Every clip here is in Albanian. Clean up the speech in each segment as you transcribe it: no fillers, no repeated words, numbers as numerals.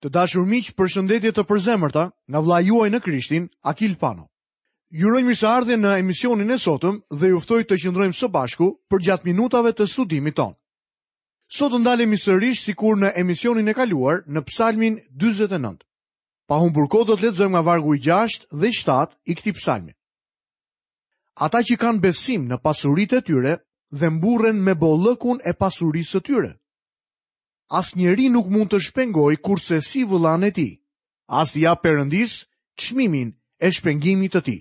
Të dashur miq, përshëndetje të përzemërta nga vëllai juaj në Krishtin, Akil Pano. Ju uroj mirëseardhje në emisionin e sotëm dhe ju ftoj të qëndrojmë së bashku përgjatë minutave të studimit tonë. Sot do ndalemi sërish sikur në emisionin e kaluar në Psalmin 49. Pa humbur kohë do të lexojmë nga vargu i 6 dhe 7 i këtij psalmi. Ata që kanë besim në pasuritë e tyre dhe mburren me bollëkun e pasurisë së tyre. Asnjeri nuk mund të shpengojë kurrsesi vëllanë e tij, as t'i japë Perëndisë çmimin e shpengimit të tij.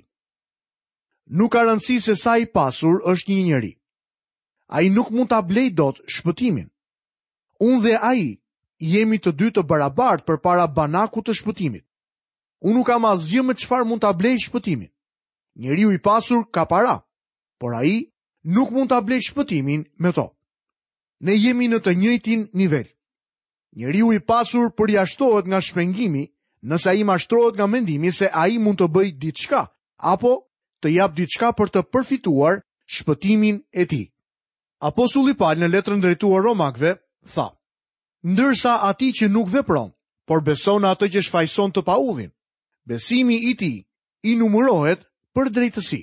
Nuk ka rëndësi se sa i pasur është një njeri. Ai nuk mund ta blejë dot shpëtimin. Unë dhe ai jemi të dy të barabartë përpara banakut të shpëtimit. Unë nuk kam asgjë me çfarë mund ta blej shpëtimin. Njeriu i pasur ka para, por ai nuk mund ta blejë shpëtimin me to. Ne jemi në të njëjtin nivel. Njeriu i pasur përjashtohet nga shpengimi nëse ai mashtrohet nga mendimi se ai mund të bëjë diçka apo të japë diçka për të përfituar shpëtimin e tij. Apostulli Pal në letrën drejtuar Romakëve tha: Ndërsa atij që nuk vepron, por beson në atë që shfajëson të paudhin, besimi i tij i numërohet për drejtësi.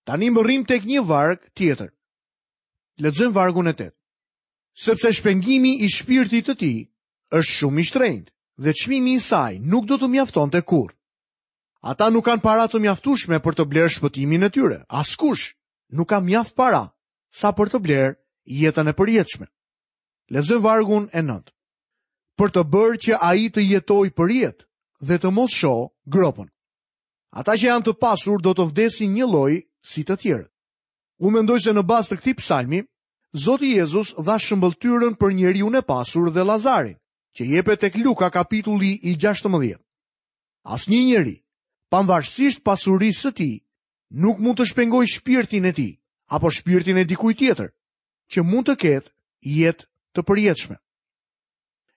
Tani mbërrijmë tek një varg tjetër. Lexojmë vargun e 8. Sepse shpengimi i shpirtit të tij është shumë i shtrenjtë dhe çmimi i saj nuk do të mjaftonte kurrë. Ata nuk kanë para të mjaftueshme për të blerë shpëtimin e tyre. Askush nuk ka mjaft para sa për të blerë jetën e përjetshme. Lexojmë vargun e 9. Për të bërë që ai të jetojë përjetë dhe të mos shohë gropën. Ata që janë të pasur do të vdesin njëlloj si të tjerët. Unë mendoj se në bazë të këtij psalmi, Zoti Jezus dha shëmbëlltyrën për njeriun e pasur dhe Lazarin, që jepet tek Luka kapitulli i 16. Asnjë njeri, pavarësisht pasurisë së tij, nuk mund të shpengojë shpirtin e tij apo shpirtin e dikujt tjetër, që mund të ketë jetë të përjetshme.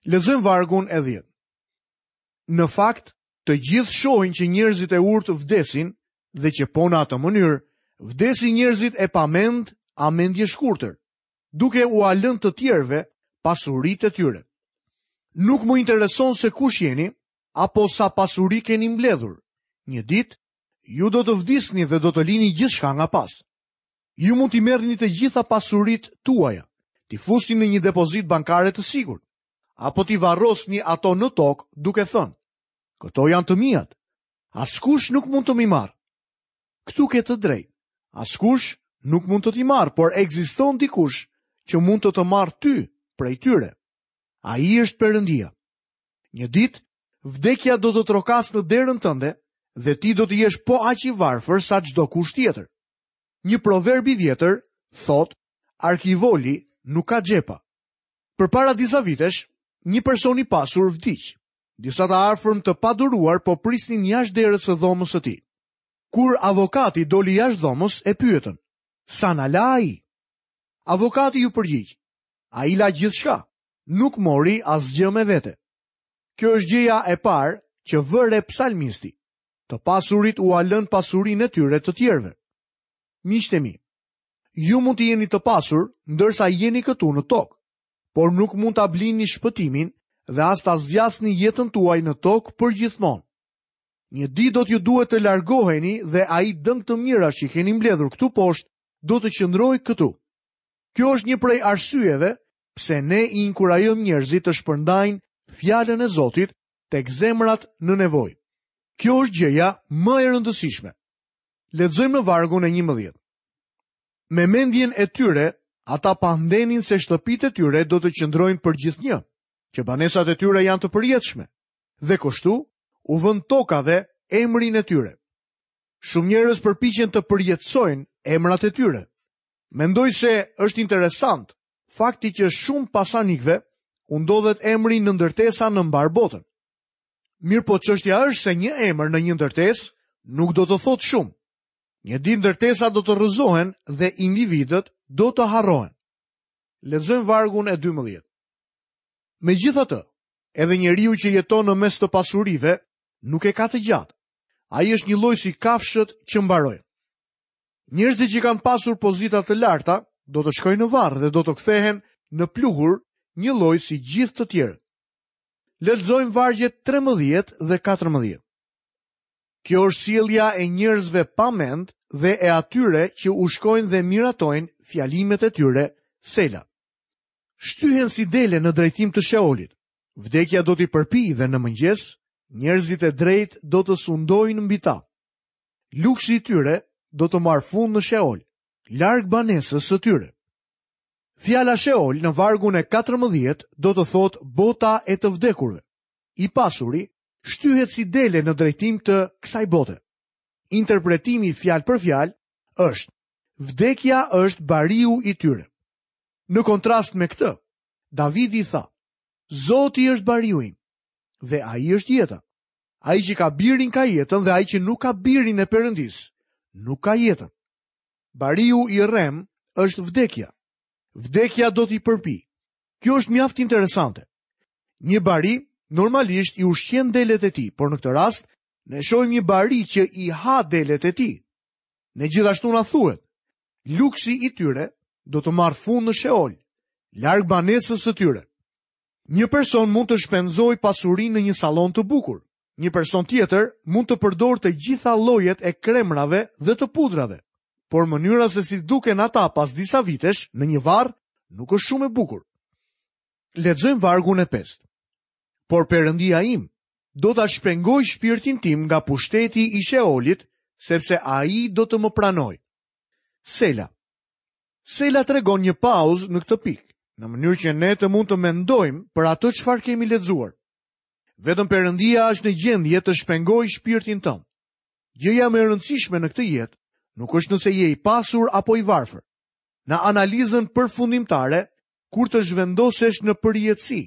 Lexojmë vargun e 10. Në fakt, të gjithë shohin që njerëzit e urtë vdesin dhe që po në atë mënyrë vdesin njerëzit e pamend a mendjeshkurtër, duke ua lënë të tjerëve pasuritë e tyre. Nuk më intereson se kush jeni apo sa pasuri keni mbledhur. Një ditë ju do të vdisni dhe do të lini gjithçka nga pas. Ju mund t'i merrni të gjitha pasuritë tuaja, t'i fusni në një depozitë bankare të sigurt, apo t'i varrosni ato në tokë duke thënë, këto janë të miat, askush nuk mund të m'i marrë. Këtu ke të drejtë, askush nuk mund të t'i marrë, por ekziston dikush që mund të të marrë ty prej tyre. Ai është Perëndia. Një ditë, vdekja do të trokasë në derën tënde dhe ti do të jesh po aq i varfër sa çdokush tjetër. Një proverb i vjetër thotë, arkivoli nuk ka xhepa. Përpara disa vitesh, një person i pasur vdiq. Disa të afërm të paduruar po prisnin jashtë derës së dhomës së tij. Kur avokati doli jashtë dhomës, e pyetën: "Sa na la ai?" Avokati iu përgjigj: "Ai la gjithçka, nuk mori asgjë me vete." Kjo është gjëja e parë që vë re psalmisti. Të pasurit ua lënë pasurinë e tyre të tjerëve. Miqtë e mi, Ju mund të jeni të pasur ndërsa jeni këtu në tokë, por nuk mund ta blini shpëtimin dhe as ta zgjasni jetën tuaj në tokë përgjithmonë. Një ditë do t'ju duhet të largoheni dhe ai dëng të mirash që keni mbledhur këtu poshtë do të qëndrojë këtu. Kjo është një prej arsyeve pse ne i inkurajojmë njerëzit të shpërndajnë fjalën e Zotit tek zemrat në nevojë. Kjo është gjëja më e rëndësishme. Lexojmë në vargun e 11. Me mendjen e tyre, ata pandenin se shtëpitë e tyre do të qëndrojnë përgjithnjë, që banesat e tyre janë të përjetshme, dhe kështu u vënë tokave emrin e tyre. Shumë njerëz përpiqen të përjetësojnë emrat e tyre. Mendoj se është interesant fakti që shumë pasanikëve u ndodhet emri në ndërtesa në mbarë botën. Mirëpo çështja është se një emër në një ndërtesë nuk do të thotë shumë. Një ditë ndërtesat do të rrëzohen dhe individët do të harrohen. Lexojmë vargun e 12. Megjithatë, edhe njeriu që jeton në mes të pasurive nuk e ka të gjatë. Ai është njëlloj si kafshët që mbarojnë. Njerëzit që kanë pasur pozita të larta do të shkojnë në varr dhe do të kthehen në pluhur njëlloj si gjithë të tjerët. Lexojmë vargjet 13 dhe 14. Kjo është sjellja e njerëzve pa mend dhe e atyre që u shkojnë dhe miratojnë fjalimet e tyre, Sela. Shtyhen si dele në drejtim të Sheolit. Vdekja do t'i përpijë dhe në mëngjes, njerëzit e drejtë do të sundojnë mbi ta. Luksi i tyre do të marrë fund në Sheol, larg banesës së tyre. Fjala Sheol në vargun e 14 do të thotë bota e të vdekurve. I pasuri shtyhet si dele në drejtim të kësaj bote. Interpretimi fjalë për fjalë është vdekja është bariu i tyre. Në kontrast me këtë, Davidi tha: Zoti është bariu im dhe ai është jeta. Ai që ka birin ka jetën dhe ai që nuk ka birin e Perëndisë, nuk ka jetën. Bariu i rremë është vdekja. Vdekja do t'i përpijë. Kjo është mjaft interesante. Një bari normalisht i ushqen delet e tij, por në këtë rast ne shohim një bari që i ha delet e tij. Ne gjithashtu na thuhet, luksi i tyre do të marrë fund në Sheol, larg banesës së tyre. Një person mund të shpenzojë pasurinë në një sallon të bukur. Një person tjetër mund të përdorë të gjitha llojet e kremrave dhe të pudrave. Por mënyra se si duken ata pas disa vitesh në një varr nuk është shumë e bukur. Lexojmë vargun e pestë. Por Perëndia im do ta shpengojë shpirtin tim nga pushteti i Sheolit, sepse ai do të më pranojë. Sela. Sela tregon një pauzë në këtë pikë, në mënyrë që ne të mund të mendojmë për atë çfarë kemi lexuar. Vetëm Perëndia është në gjendje të shpengojë shpirtin tënd. Gjëja më e rëndësishme në këtë jetë nuk është nëse je i pasur apo i varfër. Në analizën përfundimtare, kur të zhvendosesh në përjetësi,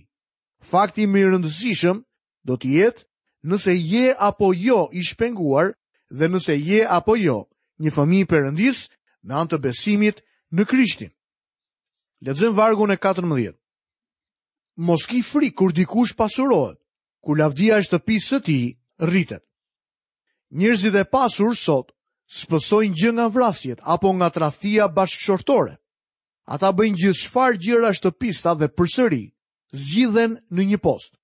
fakti më i rëndësishëm do të jetë nëse je apo jo i shpenguar dhe nëse je apo jo një fëmijë i Perëndisë me anë të besimit në Krishtin. Lexojmë vargun e 14. Mos ki frikë kur dikush pasurohet, kur lavdia e shtëpisë së tij rritet. Njerëzit e pasur sot s'pësojnë gjë nga vrasjet apo nga tradhtia bashkëshortore. Ata bëjnë gjithçfarë gjërash të pista dhe përsëri zgjidhen në një post.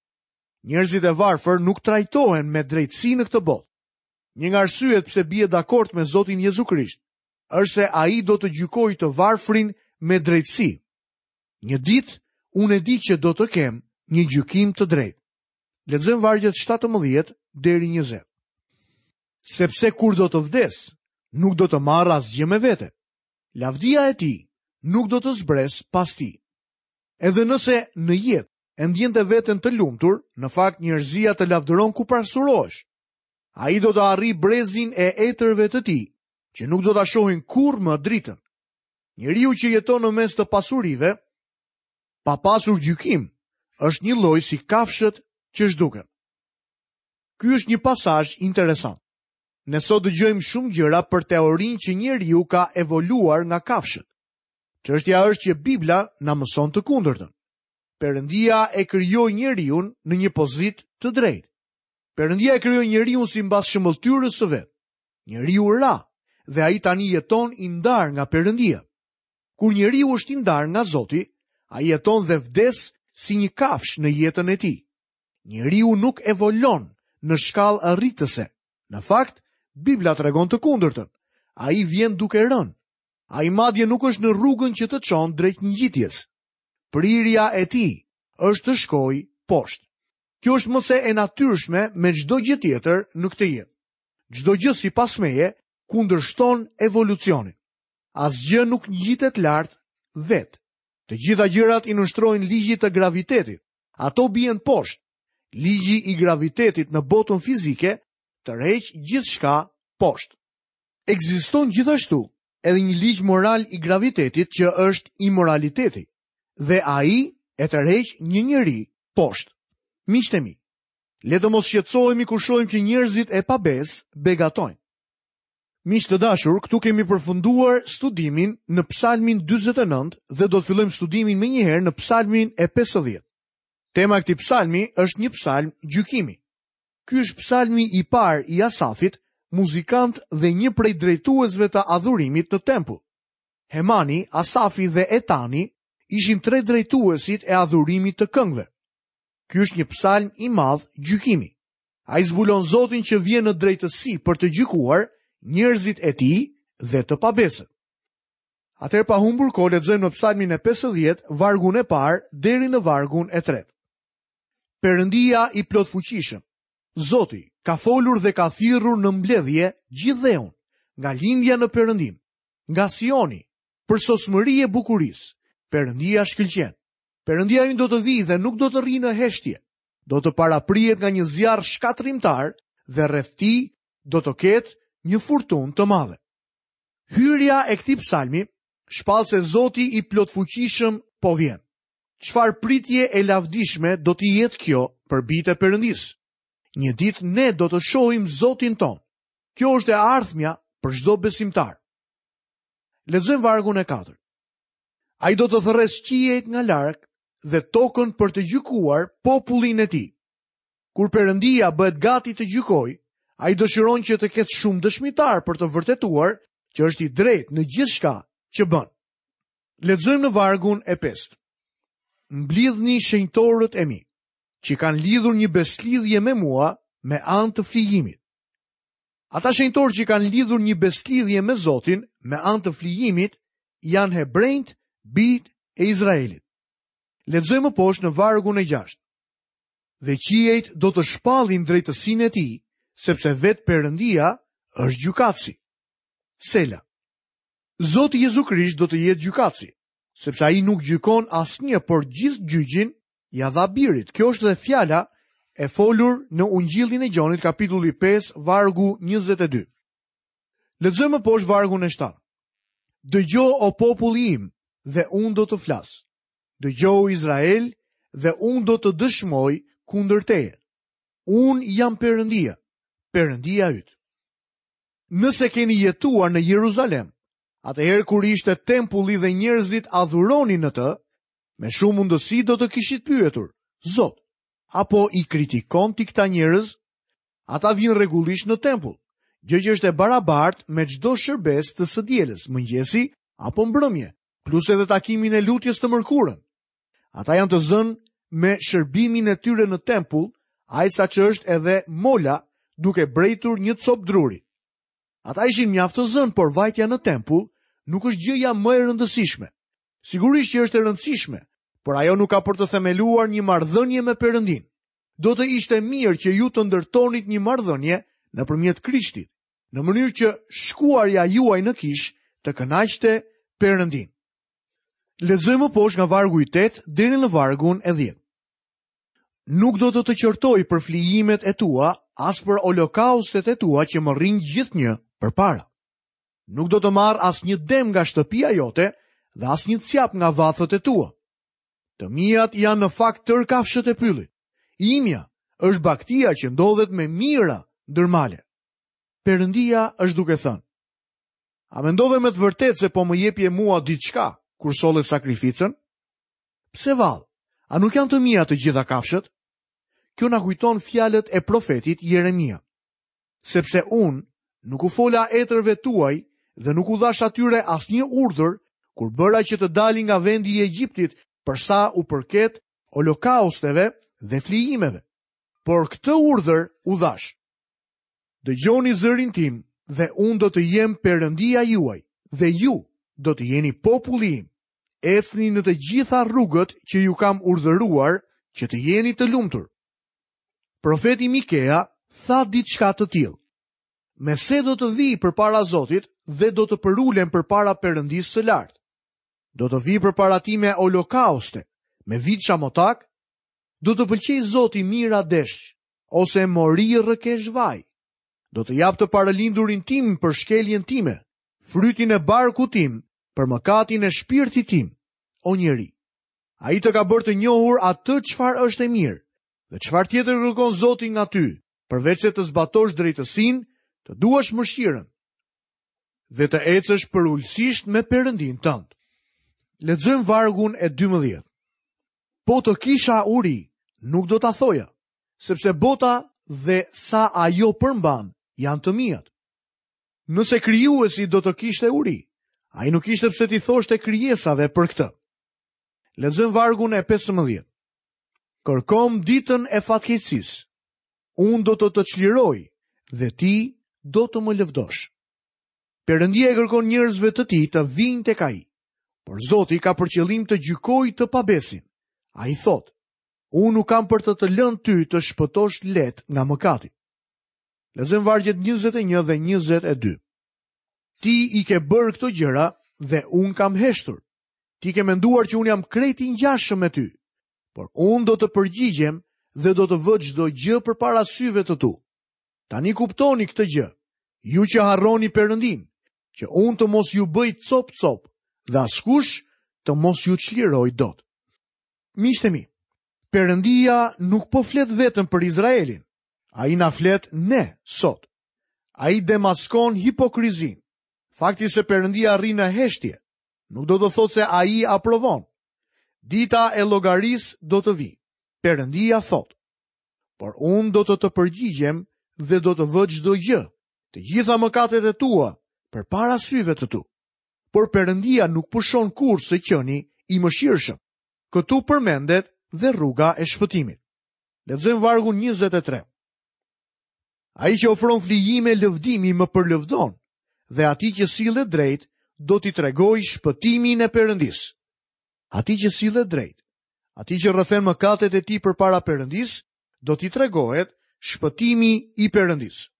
Njerëzit e varfër nuk trajtohen me drejtësi në këtë botë. Një nga arsyet pse bie dakord me Zotin Jezu Krisht është se ai do të gjykojë të varfrin me drejtësi. Një ditë unë e di që do të kem një gjykim të drejtë. Lexojmë vargjet 17 deri 20. Sepse kur do të vdes, nuk do të marr asgjë me vete. Lavdia e tij nuk do të zbresë pas tij. Edhe nëse në jetë e ndjente veten të lumtur, në fakt njerëzia të lavdëron kur pasurohesh. Ai do të arrijë brezin e etërve të tij, që nuk do ta shohin kurrë më dritën. Njeriu që jeton në mes të pasurive, pa pasur gjykim, është njëlloj si kafshët që zhduken. Ky është një pasazh interesant. Ne sot dëgjojmë shumë gjëra për teorinë që njeriu ka evoluar nga kafshët. Çështja është që Bibla na mëson të kundërtën. Perëndia e krijoi njeriun në një pozitë të drejtë. Perëndia e krijoi njeriun simbas shëmbëlltyrës së vet. Njeriu ra dhe ai tani jeton i ndarë nga Perëndia. Kur njeriu është i ndarë nga Zoti, ai jeton dhe vdes si një kafshë në jetën e tij. Njeriu nuk evolon në shkallë rritëse. Në fakt, Bibla tregon të kundërtën. Ai vjen duke rënë. Ai madje nuk është në rrugën që të çon drejt ngjitjes. Prirja e tij është të shkojë poshtë. Kjo është më se e natyrshme me çdo gjë tjetër në këtë jetë. Çdo gjë sipas meje kundërshton evolucionin. Asgjë nuk ngjitet lart vetë. Të gjitha gjërat i nënshtrohen ligjit të gravitetit. Ato bien poshtë. Ligji i gravitetit në botën fizike tërheq gjithçka poshtë. Ekziston gjithashtu edhe një ligj moral i gravitetit që është imoraliteti dhe ai e tërheq një njeri poshtë. Miqtë e mi, le të mos shqetësohemi kur shohim që njerëzit e pabesë begatojnë. Miq të dashur, këtu kemi përfunduar studimin në Psalmin 49 dhe do të fillojmë studimin menjëherë në Psalmin e 50. Tema e këtij psalmi është një psalm gjykimi. Ky është psalmi i parë i Asafit, muzikant dhe një prej drejtuesve të adhurimit në tempull. Hemani, Asafi dhe Etani ishin tre drejtuesit e adhurimit të këngëve. Ky është një psalm i madh gjykimi. Ai zbulon Zotin që vjen në drejtësi për të gjykuar njerëzit e tij dhe të pabesët. Atëherë pa humbur kohë lexojmë në psalmin e 50, vargun e parë deri në vargun e tretë. Perëndia i plotfuqishëm, Zoti ka folur dhe ka thirrur në mbledhje gjithë dheun, nga lindja në perëndim, nga Sioni, përsosmëri e bukurisë. Perëndia shkëlqen. Perëndia ynë do të vijë dhe nuk do të rrijë në heshtje. Do të paraprihet nga një zjarr shkatërrimtar dhe rreth tij do të ketë një furtunë të madhe. Hyrja e këtij psalmi shpall se Zoti i plotfuqishëm po vjen. Çfarë pritje e lavdishme do të jetë kjo për bijtë e Perëndisë? Një ditë ne do të shohim Zotin tonë. Kjo është e ardhmja për çdo besimtar. Lexojmë vargun e katërt. Ai do të thërrasë qiejt nga larg dhe tokën për të gjykuar popullin e tij. Kur Perëndia bëhet gati të gjykojë, ai dëshiron që të ketë shumë dëshmitarë për të vërtetuar që është i drejtë në gjithçka që bën. Lexojmë në vargun e pestë. Mblidhni shenjtorët e mi, që kanë lidhur një besëlidhje me mua me anë të flijimit. Ata shenjtorë që kanë lidhur një besëlidhje me Zotin me anë të flijimit janë hebrenjtë, bijtë e Izraelit. Lexojmë më poshtë në vargun e gjashtë. Dhe qiejt do të shpallin drejtësinë e tij, sepse vetë Perëndia është gjykatësi. Sela. Zoti Jezu Krisht do të jetë gjykatësi, sepse ai nuk gjykon asnjë, por gjithë gjyqin ia dha birit. Kjo është dhe fjala e folur në Ungjillin e Gjonit kapitulli 5 vargu 22. Lexojmë më poshtë vargun e 7. Dëgjo o populli im dhe unë do të flas. Dëgjo o Izrael dhe unë do të dëshmoj kundër teje. Unë jam Perëndia, Perëndia yt. Nëse keni jetuar në Jeruzalem, atëherë kur ishte tempulli dhe njerëzit adhuronin në të, me shumë mundësi do të kishit pyetur, Zot, a po i kritikon ti këta njerëz? Ata vijnë rregullisht në tempull, gjë që është e barabartë me çdo shërbesë të së dielës, mëngjesi apo mbrëmje, plus edhe takimin e lutjes të mërkurën. Ata janë të zënë me shërbimin e tyre në tempull, aq sa ç'është edhe mola duke brejtur një copë druri. Ata ishin mjaft të zënë, por vajtja në tempull nuk është gjëja më e rëndësishme. Sigurisht që është e rëndësishme, por ajo nuk ka për të themeluar një marrëdhënie me Perëndinë. Do të ishte mirë që ju të ndërtonit një marrëdhënie nëpërmjet Krishtit, në mënyrë që shkuarja juaj në kishë të kënaqte Perëndinë. Lexojmë më poshtë nga vargu i 8 deri në vargun e 10. Nuk do të të qortoj për flijimet e tua, as për holokaustet e tua që më rrinë gjithnjë përpara. Nuk do të marr asnjë dem nga shtëpia jote dhe asnjë cjap nga vathët e tua. Të miat janë në fakt tërë kafshët e pyllit. Imja është bagëtia që ndodhet me mijëra ndër male. Perëndia është duke thënë, A mendove me të vërtetë se po më jepje mua diçka kur solle sakrificën? Pse vallë? A nuk janë të mia të gjitha kafshët? Kjo na kujton fjalët e profetit Jeremia. Sepse unë nuk u fola etërve tuaj dhe nuk u dhashë atyre asnjë urdhër kur bëra që të dalin nga vendi i Egjiptit për sa u përket holokausteve dhe flijimeve. Por këtë urdhër u dhashë. Dëgjoni zërin tim dhe unë do të jem Perëndia juaj dhe ju do të jeni populli im. Ecni në të gjitha rrugët që ju kam urdhëruar që të jeni të lumtur. Profeti Mikea tha diçka të tillë. Me se do të vij përpara Zotit dhe do të përulem përpara Perëndisë së lartë. Do të vij përpara tij me holokauste, me viça motakë, do të pëlqejë Zoti mijëra desh, ose mori rrëkesh vaj. Do të jap të parëlindurin tim për shkeljen time, frytin e barkut tim për mëkatin e shpirtit tim, o njeri. Ai të ka bërë të njohur atë çfarë është e mirë, dhe çfarë tjetër kërkon Zoti nga ty, përveçse të zbatosh drejtësinë, të duash mëshirën dhe të ecësh përulësisht me Perëndinë tënd. Lexojmë vargun e 12. Po të kisha uri, nuk do ta thoja, sepse bota dhe sa ajo përmban janë të miat. Nëse krijuesi do të kishte uri, ai nuk kishte pse t'i thoshte krijesave për këtë. Lexojmë vargun e 15. Kërkomë ditën e fatkeqësisë. Unë do të të çliroj dhe ti do të më lëvdosh. Perëndia i kërkon njerëzve të tij të vijnë tek ai. Por Zoti ka për qëllim të gjykojë të pabesin. Ai thotë, unë nuk kam për të të lënë ty të shpëtosh lehtë nga mëkati. Lexojmë vargjet 21 dhe 22. Ti i ke bërë këto gjëra dhe unë kam heshtur. Ti ke menduar që unë jam krejt i ngjashëm me ty. Por unë do të përgjigjem dhe do të vë çdo gjë përpara syve të tu. Tani kuptoni këtë gjë, ju që harroni Perëndinë, që unë të mos ju bëj copë-copë dhe askush të mos ju çlirojë dot. Miqtë e mi, Perëndia nuk po flet vetëm për Izraelin. Ai na flet ne sot. Ai demaskon hipokrizinë. Fakti se Perëndia rri në heshtje, nuk do të thotë se ai aprovon. Dita e llogarisë do të vijë. Perëndia thotë: Por unë do të të përgjigjem dhe do të vë çdo gjë, të gjitha mëkatet e tua, përpara syve të tu. Por Perëndia nuk pushon kurrë së qeni i mëshirshëm. Këtu përmendet dhe rruga e shpëtimit. Lexojmë vargun 23. Ai që ofron flijime lëvdimi më përlëvdon dhe atij që sillet drejt do t'i tregoj shpëtimin e Perëndisë. Atij që sillet drejt, atij që rrëfen mëkatet e tij përpara Perëndisë, do t'i tregohet shpëtimi i Perëndisë.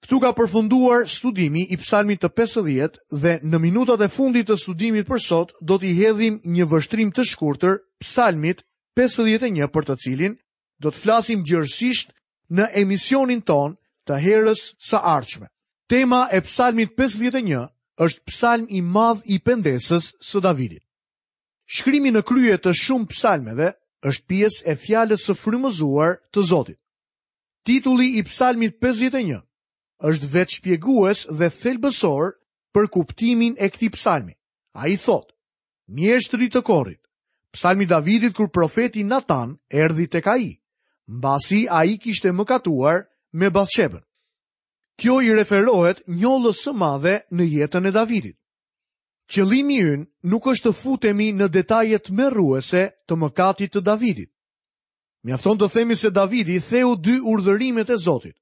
Këtu ka përfunduar studimi i psalmit të 50 dhe në minutat e fundit të studimit për sot do t'i hedhim një vështrim të shkurtër psalmit 51 për të cilin do të flasim gjerësisht në emisionin tonë të herës së ardhshme. Tema e psalmit 51 është psalm i madh i pendesës së Davidit. Shkrimi në krye të shumë psalmeve është pjesë e fjalës së frymëzuar të Zotit. Titulli i psalmit 51 është vetëshpjegues dhe thelbësor për kuptimin e këtij psalmi. Ai thotë: Mjeshtrit të korit. Psalmi i Davidit kur profeti Natan erdhi tek ai, mbasi ai kishte mëkatuar me Bathshebën. Kjo i referohet njollës së madhe në jetën e Davidit. Qëllimi ynë nuk është të futemi në detaje tmerruese të mëkatit të Davidit. Mjafton të themi se Davidi theu dy urdhërimet e Zotit.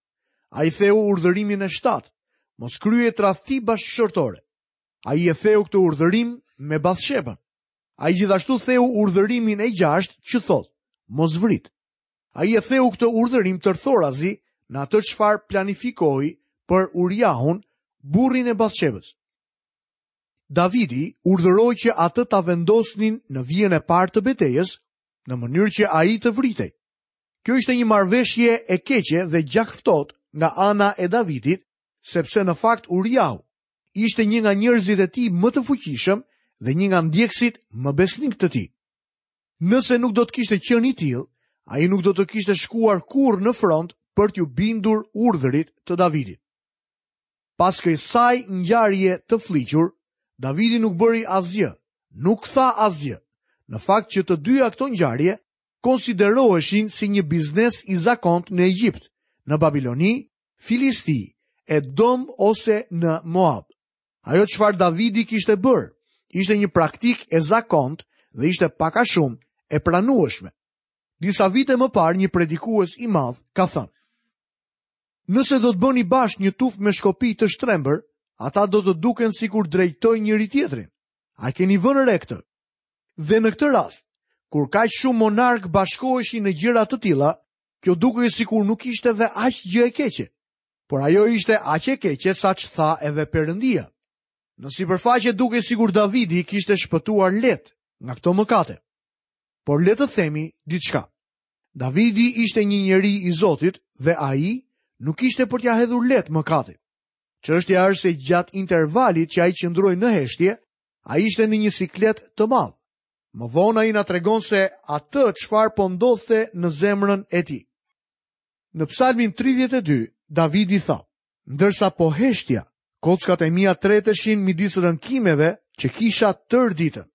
Ai theu urdhërimin e 7, mos kryej tradhti bashkëshortore. Ai e theu këtë urdhërim me Bathshebën. Ai gjithashtu theu urdhërimin e gjashtë që thotë, mos vrit. Ai e theu këtë urdhërim tërthorazi në atë çfarë planifikoi për Uriahun, burrin e Bathshebës. Davidi urdhëroi që atë ta vendosnin në vijën e parë të betejës, në mënyrë që ai të vritej. Kjo ishte një marrëveshje e keqe dhe gjakftohtë nga ana e Davidit, sepse në fakt Uriahu ishte një nga njerëzit e tij më të fuqishëm dhe një nga ndjekësit më besnikë të tij. Nëse nuk do të kishte qenë i tillë, ai nuk do të kishte shkuar kurrë në front për t'iu bindur urdhrit të Davidit. Pas kësaj ngjarje të flliqur, Davidi nuk bëri asgjë, nuk tha asgjë. Në fakt që të dyja këto ngjarje konsideroheshin si një biznes i zakontë në Egjipt, në Babiloni Filisti, Edom ose në Moab. Ajo çfarë Davidi kishte bërë, ishte një praktikë e zakontë dhe ishte pak a shumë e pranueshme. Disa vite më parë një predikues i madh ka thënë: Nëse do të bëni bashkë një tufë me shkopinj të shtrembër, ata do të duken sikur drejtojnë njëri-tjetrin. A keni vënë re këtë? Dhe në këtë rast, kur kaq shumë monarkë bashkoheshin në gjëra të tilla, Kjo dukej sikur nuk ishte dhe aq gjë e keqe, por ajo ishte aq e keqe sa ç'tha edhe Perëndia. Në sipërfaqe dukej sikur Davidi kishte shpëtuar lehtë nga këto mëkate. Por le të themi diçka. Davidi ishte një njeri i Zotit dhe ai nuk ishte për t'ia hedhur lehtë mëkatit. Çështja është se gjatë intervalit që ai qëndroi në heshtje, ai ishte në një siklet të madh. Më vonë ai na tregon se atë çfarë po ndodhte në zemrën e tij. Në Psalmin 32, Davidi tha: Ndërsa po heshtja, kockat e mia treteshin midis rënkimeve që kisha tërë ditën.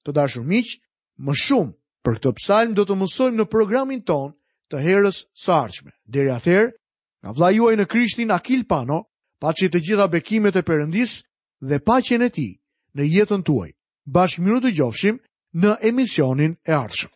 Të dashur miq, më shumë për këtë psalm do të mësojmë në programin tonë të herës së ardhshme. Deri atëherë, nga vëllai juaj në Krishtin Akil Pano, paçi të gjitha bekimet e Perëndisë dhe paqen e tij në jetën tuaj. Bashkë mirudëgjofshim në emisionin e ardhshëm.